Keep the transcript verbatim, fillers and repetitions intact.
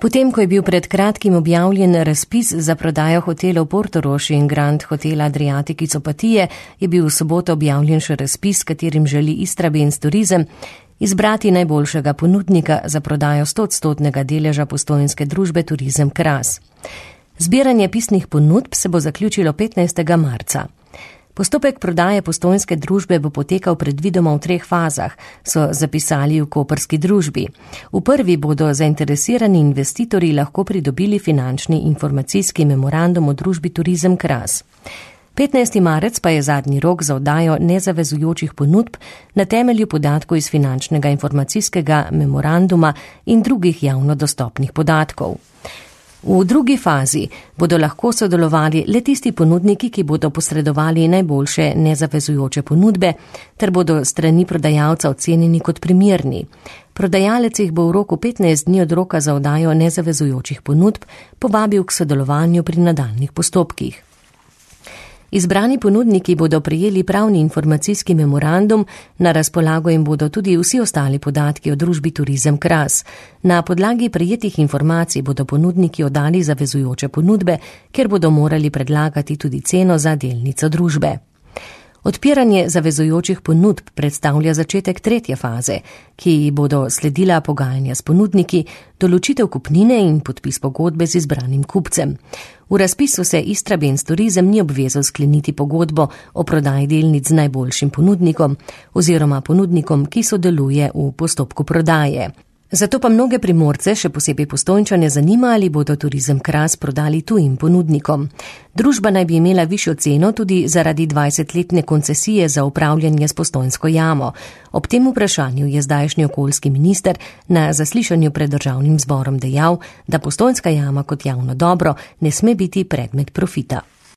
Potem, ko je bil pred kratkim objavljen razpis za prodajo hotelov Portorož in Grand Hotel Adriatic iz Opatije, je bil v soboto objavljen še razpis, katerim želi Istrabenz Turizem izbrati najboljšega ponudnika za prodajo stoodstotnega deleža postojnske družbe Turizem Kras. Zbiranje pisnih ponudb se bo zaključilo petnajstega marca. Postopek prodaje postojnske družbe bo potekal predvidoma v treh fazah, so zapisali v koprski družbi. V prvi bodo zainteresirani investitorji lahko pridobili finančni informacijski memorandum o družbi Turizem Kras. petnajsti marec pa je zadnji rok za oddajo nezavezujočih ponudb na temelju podatkov iz finančnega informacijskega memoranduma in drugih javno dostopnih podatkov. V drugi fazi bodo lahko sodelovali le tisti ponudniki, ki bodo posredovali najboljše nezavezujoče ponudbe, ter bodo strani prodajalca ocenjeni kot primerni. Prodajalec jih bo v roku petnajst dni od roka za oddajo nezavezujočih ponudb povabil k sodelovanju pri nadaljnjih postopkih. Izbrani ponudniki bodo prejeli pravni informacijski memorandum, na razpolago jim bodo tudi vsi ostali podatki o družbi Turizem Kras. Na podlagi prejetih informacij bodo ponudniki oddali zavezujoče ponudbe, ker bodo morali predlagati tudi ceno za delnico družbe. Odpiranje zavezujočih ponudb predstavlja začetek tretje faze, ki bodo sledila pogajanja s ponudniki, določitev kupnine in podpis pogodbe z izbranim kupcem. V razpisu se Istrabenz Turizem ni obvezal skleniti pogodbo o prodaji delnic z najboljšim ponudnikom oziroma ponudnikom, ki sodeluje v postopku prodaje. Zato pa mnoge Primorce, še posebej Postojnčane, zanima, ali bodo Turizem Kras prodali tujim ponudnikom. Družba naj bi imela višjo ceno tudi zaradi dvajsetletne koncesije za upravljanje s Postojnsko jamo. Ob tem vprašanju je zdajšnji okoljski minister na zaslišanju pred državnim zborom dejal, da Postojnska jama kot javno dobro ne sme biti predmet profita.